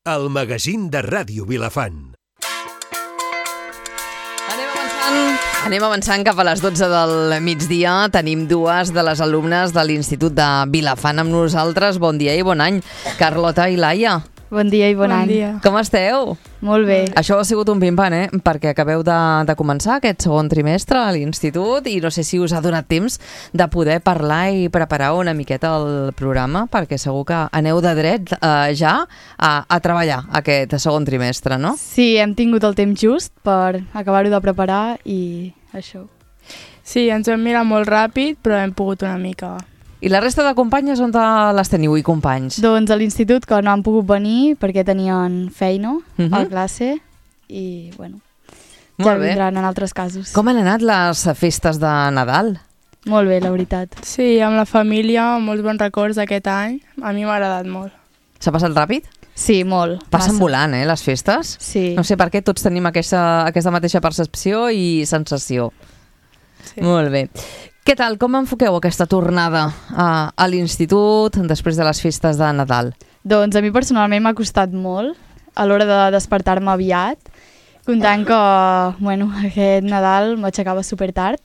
el magazín de Ràdio Vilafant. Anem avançant cap a les 12 del migdia. Tenim dues de les alumnes de l'Institut de Vilafant amb nosaltres. Bon dia i bon any, Carlota i Laia. Bon dia i bon any. Dia. Com esteu? Molt bé. Això ha sigut un pim-pam, perquè acabeu de començar aquest segon trimestre a l'institut i no sé si us ha donat temps de poder parlar i preparar una miqueta el programa, perquè segur que aneu de dret ja a treballar aquest segon trimestre, no? Sí, hem tingut el temps just per acabar-ho de preparar i això. Sí, ens vam mirar molt ràpid, però hem pogut una mica. I la resta de companyes on les teniu i companys? Doncs a l'institut, que no han pogut venir perquè tenien feina a classe i, bueno, ja vindran en altres casos. Com han anat les festes de Nadal? Molt bé, la veritat. Sí, amb la família, molts bons records d'aquest any. A mi m'ha agradat molt. S'ha passat ràpid? Sí, molt. Passen volant, les festes? Sí. No sé per què tots tenim aquesta mateixa percepció i sensació. Sí. Molt bé. Què tal? Com enfoqueu aquesta tornada a l'institut després de les festes de Nadal? Doncs a mi personalment m'ha costat molt a l'hora de despertar-me aviat, comptant que, bueno, aquest Nadal m'aixecava supertard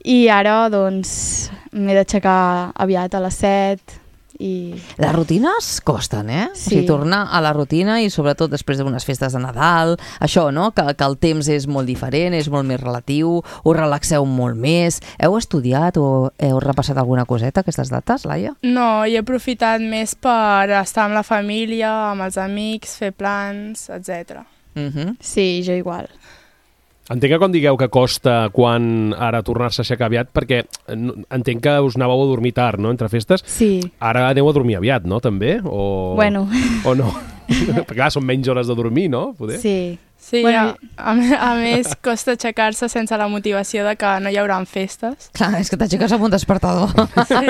i ara, doncs, m'he d'aixecar aviat a les 7 i... Les rutines costen, Sí. O sigui, tornar a la rutina i sobretot després d'unes festes de Nadal, això, no? Que el temps és molt diferent, és molt més relatiu, us relaxeu molt més. Heu estudiat o heu repassat alguna coseta aquestes dates, Laia? No, he aprofitat més per estar amb la família, amb els amics, fer plans, etc. Sí, jo igual. Entenc que quan digueu que costa quan ara tornar-se a aixecar aviat, perquè entenc que us anàveu a dormir tard, no?, entre festes. Sí. Ara aneu a dormir aviat, no?, també? O... Bueno. O no? Perquè clar, són menys hores de dormir, no? Poder? Sí. Sí, Bueno, a més, costa aixecar-se sense la motivació de que no hi haurà festes. Clar, és que t'aixeques amb un despertador. Sí.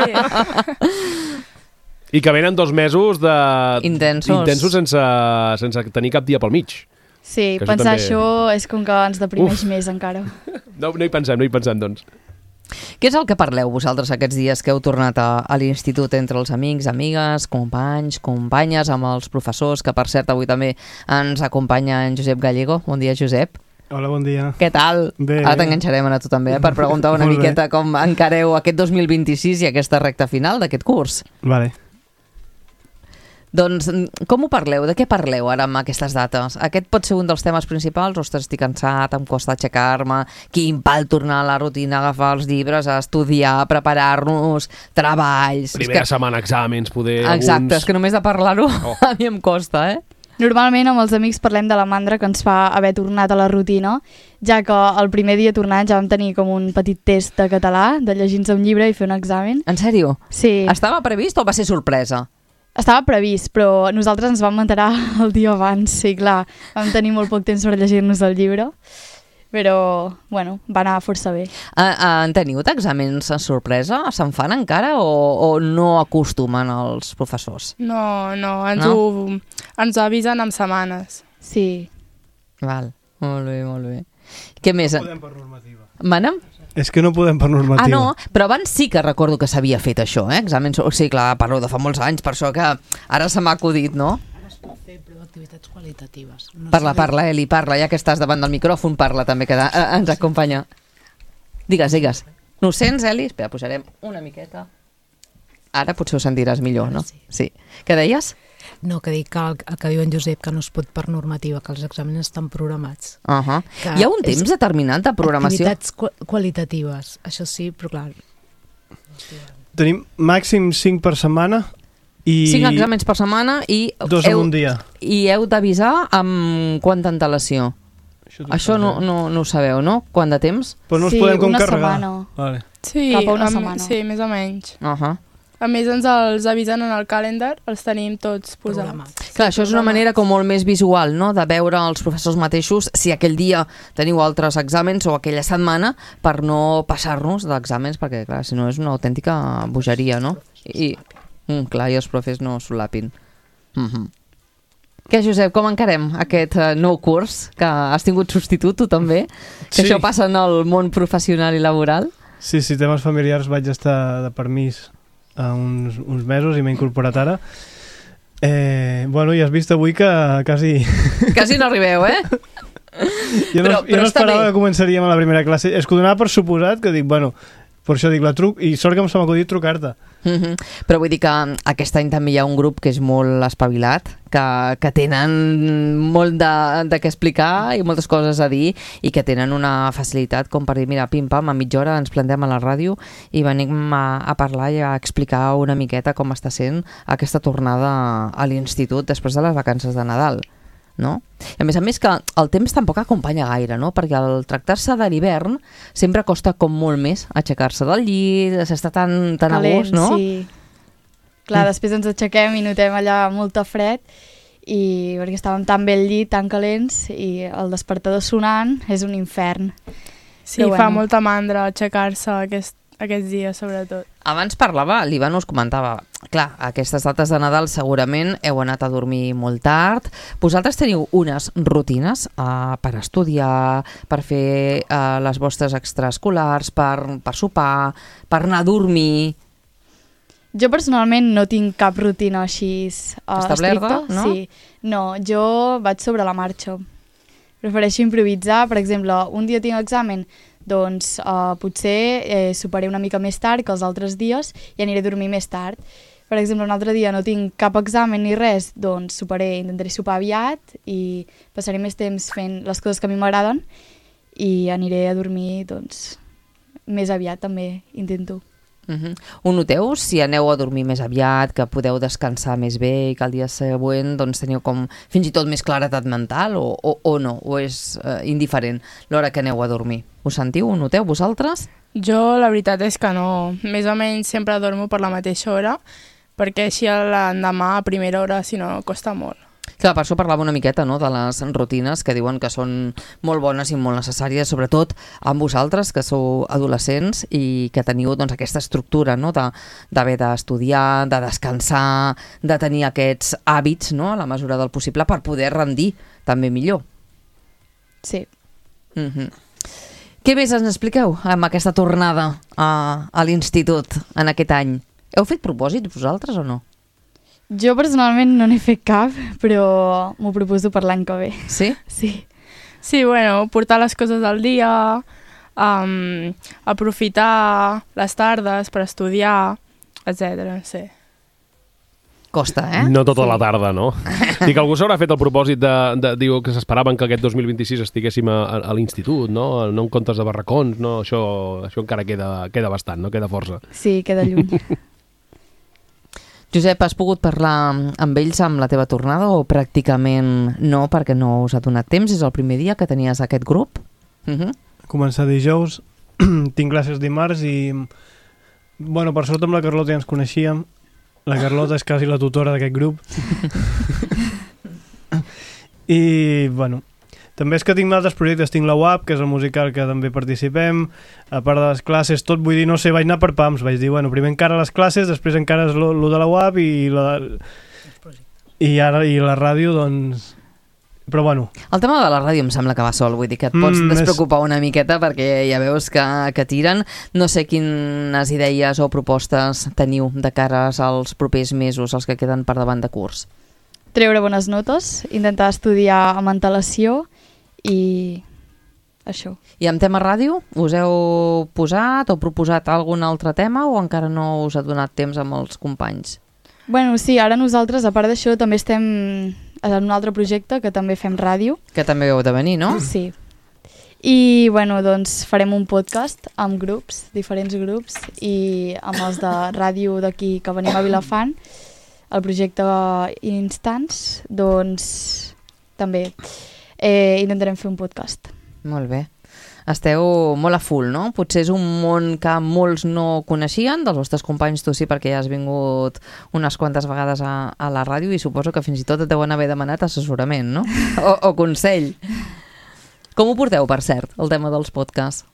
I que venen 2 mesos Intensos sense tenir cap dia pel mig. Sí, Que pensar també- això és com que ens deprimeix més encara. No hi pensem, doncs. Què és el que parleu vosaltres aquests dies que heu tornat a l'institut entre els amics, amigues, companys, companyes, amb els professors, que per cert avui també ens acompanya en Josep Gallego. Bon dia, Josep. Hola, bon dia. Què tal? Bé. Ara t'enganxarem a tu també, per preguntar una Molt bé. miqueta com encareu aquest 2026 i aquesta recta final d'aquest curs. Vale. Doncs com ho parleu? De què parleu ara amb aquestes dates? Aquest pot ser un dels temes principals? Ostres, estic cansat, em costa aixecar-me, quin pal tornar a la rutina, agafar els llibres, a estudiar, preparar-nos, treballs... Primera setmana, exàmens, poder... Exacte, és que només de parlar-ho a mi em costa, Normalment amb els amics parlem de la mandra que ens fa haver tornat a la rutina, ja que el primer dia tornant ja vam tenir com un petit test de català, de llegir-nos un llibre i fer un examen. En sèrio? Sí. Estava previst o va ser sorpresa? Estava previst, però nosaltres ens vam enterar el dia abans, sí, clar. Vam tenir molt poc temps per llegir-nos el llibre, però, bueno, va anar força bé. En teniu d'exàmens a sorpresa? Se'n fan encara o no acostumen els professors? No, ens avisen amb setmanes. Sí. Val, molt bé, molt bé. Què més? No podem per normativa. Manem? És que no podem per normativa. Ah, no, però abans sí que recordo que s'havia fet això, exàmens, o sigui, clar, parlo de fa molts anys, per això que ara se m'ha acudit, no? Ara es pot fer, però activitats qualitatives. No Parla, Eli, parla, ja que estàs davant del micròfon, parla també, que ens acompanya. Digues. No ho sents, Eli? Espera, posarem una miqueta. Ara potser ho sentiràs millor, no? Sí. Què deies? No, que dic que el que diu en Josep, que no es pot per normativa, que els exàmens estan programats. Que Hi ha un temps determinat de programació? Activitats qualitatives, això sí, però clar... Tenim màxim 5 per setmana i... 5 exàmens per setmana i... 2 en un dia. I heu d'avisar amb quanta antelació? Això no ho sabeu, no? Quant de temps? Però no els Sí, podem com una carregar. setmana. Vale. Sí, Cap a una setmana. Sí, més o menys. Uh-huh. A més, ens els avisen en el calendar, els tenim tots posats. Clar, això és una manera com molt més visual, no?, de veure els professors mateixos si aquell dia teniu altres exàmens o aquella setmana per no passar-nos d'exàmens, perquè, clar, si no és una autèntica bogeria, no? I, clar, i els profes no solapin. Què, Josep, com encarem aquest nou curs? Que has tingut substitut, tu també? Que Sí. això passa en el món professional i laboral? Sí, temes familiars vaig estar de permís uns mesos i m'he incorporat ara. Bueno, ja has vist avui que quasi... Quasi no arribeu, Jo no Però està esperava bé. que començaríem a la primera classe. És que ho donava per suposat, que dic, bueno, per això dic la truc, i sort que se m'ha acudit trucar-te. Però vull dir que aquest any també hi ha un grup que és molt espavilat, que tenen molt de què explicar i moltes coses a dir i que tenen una facilitat com per dir, mira, pim-pam, a mitja hora ens plantem a la ràdio i venim a parlar i a explicar una miqueta com està sent aquesta tornada a l'institut després de les vacances de Nadal, no? I a més que el temps tampoc acompanya gaire, no? Perquè al tractar-se de l'hivern sempre costa com molt més aixecar-se del llit, s'està tan a gust, no? Sí. Clar, després ens aixequem i notem allà molta fred i perquè estàvem tan bé al llit, tan calents i el despertador sonant és un infern. Sí, Però fa bueno. molta mandra aixecar-se aquests dies, sobretot. Abans parlava, l'Ivan us comentava, clar, aquestes dates de Nadal segurament heu anat a dormir molt tard. Vosaltres teniu unes rutines per estudiar, per fer les vostres extraescolars, per sopar, per anar a dormir... Jo personalment no tinc cap rutina així Establerta, estricta. no? Sí. No, jo vaig sobre la marxa. Prefereixo improvisar. Per exemple, un dia tinc examen, doncs potser soparé una mica més tard que els altres dies i aniré a dormir més tard. Per exemple, un altre dia no tinc cap examen ni res, doncs intentaré sopar aviat i passaré més temps fent les coses que a mi m'agraden i aniré a dormir doncs, més aviat també, intento. Ho noteu si aneu a dormir més aviat, que podeu descansar més bé i que el dia següent doncs, teniu com fins i tot més claretat mental o no? O és indiferent l'hora que aneu a dormir? Ho sentiu? Ho noteu vosaltres? Jo la veritat és que no. Més o menys sempre dormo per la mateixa hora, perquè així l'endemà a primera hora, si no, costa molt. Clar, per això parlava una miqueta, no?, de les rutines que diuen que són molt bones i molt necessàries, sobretot amb vosaltres, que sou adolescents i que teniu doncs, aquesta estructura, no?, d'haver d'estudiar, de descansar, de tenir aquests hàbits, no?, a la mesura del possible per poder rendir també millor. Sí. Què més ens expliqueu amb aquesta tornada a l'institut en aquest any? Heu fet propòsits vosaltres o no? Jo personalment no n'he fet cap, però m'ho proposo per l'any que ve. Sí? Sí. Sí, bueno, portar les coses al dia, aprofitar les tardes per estudiar, etc. No sé. Costa, No tota la tarda, no? Dic, algú s'haurà fet el propòsit diu que s'esperaven que aquest 2026 estiguéssim a l'institut, no? No en comptes de barracons, no? Això encara queda bastant, no? Queda força. Sí, queda lluny. Josep, has pogut parlar amb ells amb la teva tornada o pràcticament no, perquè no us ha donat temps? És el primer dia que tenies aquest grup? Començar dijous, tinc classes dimarts i... Bueno, per sort amb la Carlota ja ens coneixíem. La Carlota és quasi la tutora d'aquest grup. I, bueno, també és que tinc altres projectes. Tinc la UAP, que és el musical que també participem, a part de les classes, tot, vull dir, no sé, vaig anar per pams, vaig dir, bueno, primer encara les classes, després encara és lo de la UAP i la ràdio, doncs... Però bueno. El tema de la ràdio em sembla que va sol, vull dir que et pots despreocupar una miqueta perquè ja veus que tiren. No sé quines idees o propostes teniu de cara als propers mesos, els que queden per davant de curs. Treure bones notes, intentar estudiar amb antelació i això. I amb tema ràdio, us heu posat o proposat algun altre tema o encara no us ha donat temps amb els companys? Bueno, sí, ara nosaltres, a part d'això, també estem en un altre projecte que també fem ràdio. Que també heu de venir, no? Sí. I, bueno, doncs farem un podcast amb grups, diferents grups, i amb els de ràdio d'aquí que venim a Vilafant, el projecte Instants, doncs també intentarem fer un podcast. Molt bé. Esteu molt a full, no? Potser és un món que molts no coneixien, dels vostres companys tu sí, perquè ja has vingut unes quantes vegades a la ràdio i suposo que fins i tot et deuen haver demanat assessorament, no? O consell. Com ho porteu, per cert, el tema dels podcasts?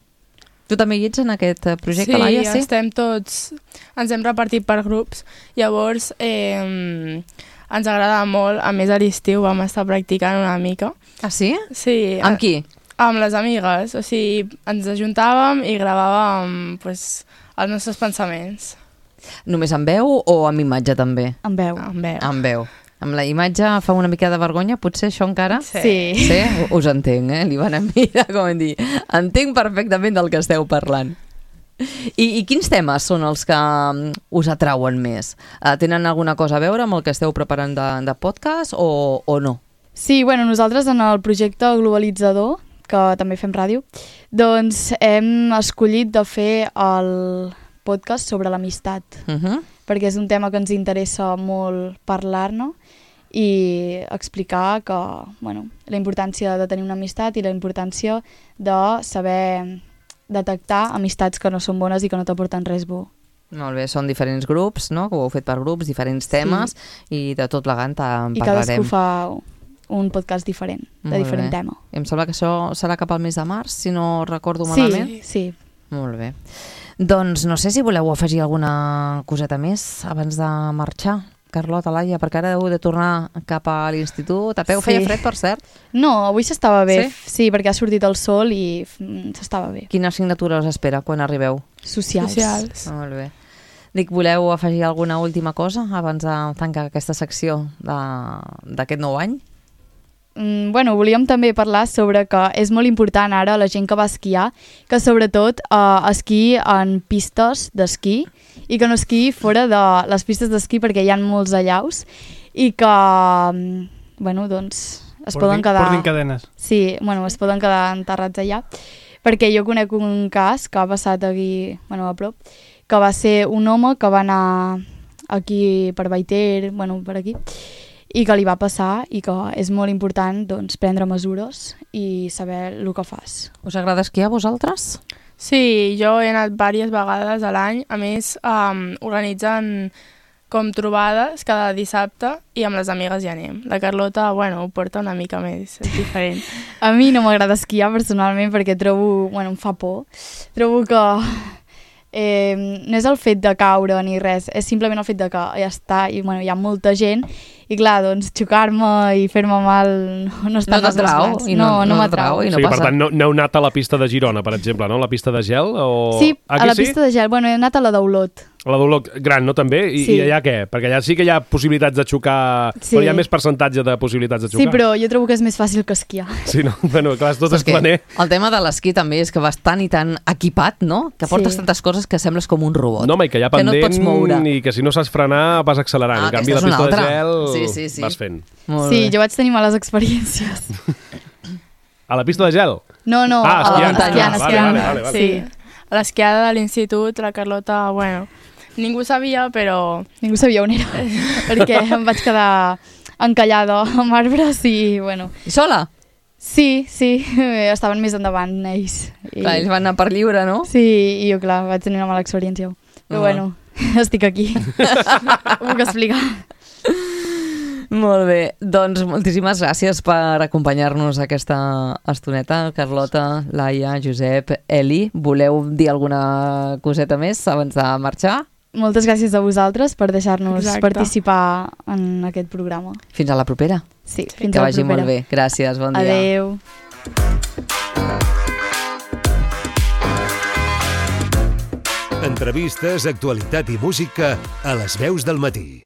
Tu també hi ets en aquest projecte, Laia? Sí, estem tots... Ens hem repartit per grups. Llavors, ens agrada molt. A més, a l'estiu vam estar practicant una mica. Ah, sí? Sí. Amb qui? Amb les amigues. O sigui, ens ajuntàvem i gravàvem els nostres pensaments. Només amb veu o amb imatge també? Amb veu. Amb veu. Amb veu. Amb la imatge fa una mica de vergonya, potser això encara? Sí. Sí? Us entenc, li van a mirar com a dir. Entenc perfectament del que esteu parlant. I quins temes són els que us atrauen més? Tenen alguna cosa a veure amb el que esteu preparant de podcast o no? Sí, bueno, nosaltres en el projecte Globalitzador, que també fem ràdio, doncs hem escollit de fer el podcast sobre l'amistat, perquè és un tema que ens interessa molt parlar-ne i explicar que, bueno, la importància de tenir una amistat i la importància de saber detectar amistats que no són bones i que no t'aporten res bo. Molt bé, són diferents grups, no? Que ho heu fet per grups, diferents temes, i de tot plegant en I parlarem. cadascú fa un podcast diferent, de diferent tema. Em sembla que això serà cap al mes de març, si no recordo malament. Sí. Molt bé. Doncs no sé si voleu afegir alguna coseta més abans de marxar. Carlota, Laia, perquè ara heu de tornar cap a l'institut. A peu feia fred, per cert? No, avui s'estava bé. Sí? Sí, perquè ha sortit el sol i s'estava bé. Quina assignatura us espera quan arribeu? Socials. Molt bé. Dic, voleu afegir alguna última cosa abans de tancar aquesta secció d'aquest nou any? Bueno, volíem també parlar sobre que és molt important ara la gent que va esquiar, que sobretot esquiï en pistes d'esquí i que no esquiï fora de les pistes d'esquí perquè hi ha molts allaus i que, bueno, doncs es poden quedar... Portin cadenes. Sí, bueno, es poden quedar enterrats allà, perquè jo conec un cas que ha passat aquí, bueno, a prop, que va ser un home que va anar aquí per Baiter, bueno, per aquí, i que li va passar i que és molt important doncs, prendre mesures i saber el que fas. Us agrada esquiar a vosaltres? Sí, jo he anat diverses vegades a l'any. A més, organitzen com trobades cada dissabte i amb les amigues hi anem. La Carlota, bueno, ho porta una mica més, és diferent. A mi no m'agrada esquiar personalment perquè trobo, bueno, em fa por. Trobo que no és el fet de caure ni res, és simplement el fet de que ja està, i bueno, hi ha molta gent, i clar, doncs xocar-me i fer-me mal no està als meus plans. No m'atrau. O sigui, per tant, no heu anat a la pista de Girona, per exemple, no? La pista de gel? O... Sí, a la pista de gel. Bueno, he anat a la d'Olot. A la d'Olot gran, no, també? I allà què? Perquè allà sí que hi ha possibilitats de xocar, però hi ha més percentatge de possibilitats de xocar. Sí, però jo trobo que és més fàcil que esquiar. Sí, no? Bueno, clar, tot és planer. El tema de l'esquí també és que vas tan i tan equipat, no? Que portes tantes coses que sembles com un robot. No, home, i que hi ha pendent no et pots moure. i que si no saps frenar vas accelerant. En canvi, la pista de gel vas fent. Sí, jo vaig tenir males experiències. A la pista de gel? No, esquiant. Vale. Sí, a l'esquiada de l'institut, la Carlota, bueno, ningú sabia, però... Ningú sabia on era, perquè em vaig quedar encallada amb arbres i, bueno... I sola? Sí, estaven més endavant ells. Clar, ells van anar per lliure, no? Sí, i jo, clar, vaig tenir una mala experiència. Però bueno, estic aquí. Ho puc explicar. Molt bé, doncs moltíssimes gràcies per acompanyar-nos aquesta estoneta. Carlota, Laia, Josep, Eli, voleu dir alguna coseta més abans de marxar? Moltes gràcies a vosaltres per deixar-nos participar en aquest programa. Fins a la propera. Sí, fins a la propera. Que vagi molt bé. Gràcies, bon dia. Adéu. Entrevistes, actualitat i música a les veus del matí.